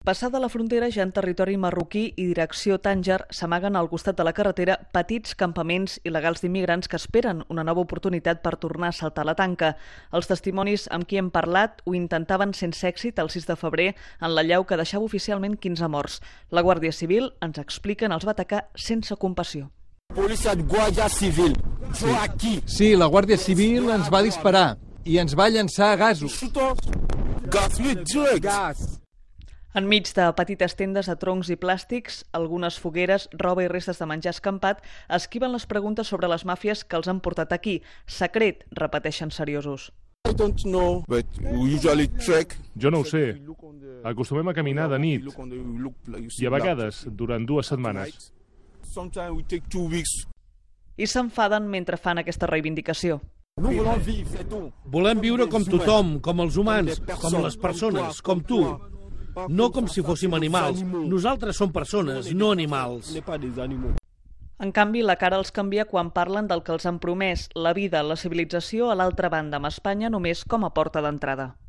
Passada la frontera, ja en territori marroquí i direcció Tànger, s'amaguen al costat de la carretera petits campaments il·legals d'immigrants que esperen una nova oportunitat per tornar a saltar la tanca. Els testimonis amb qui hem parlat ho intentaven sense èxit el 6 de febrer en l'allau que deixava oficialment 15 morts. La Guàrdia Civil, ens expliquen, els va atacar sense compassió. Sí, la Guàrdia Civil ens va disparar i ens va llançar gasos. Enmig de petites tendes de troncs i plàstics, algunes fogueres, roba i restes de menjar escampat esquiven les preguntes sobre les màfies que els han portat aquí. Secret, repeteixen seriosos. Jo no ho sé. Acostumem a caminar de nit i a vegades durant 2 setmanes. I s'enfaden mentre fan aquesta reivindicació. Volem viure com tothom, com els humans, com les persones, com tu. No com si fóssim animals. Nosaltres som persones, no animals. En canvi, la cara els canvia quan parlen del que els han promès, la vida, la civilització a l'altra banda, amb Espanya només com a porta d'entrada.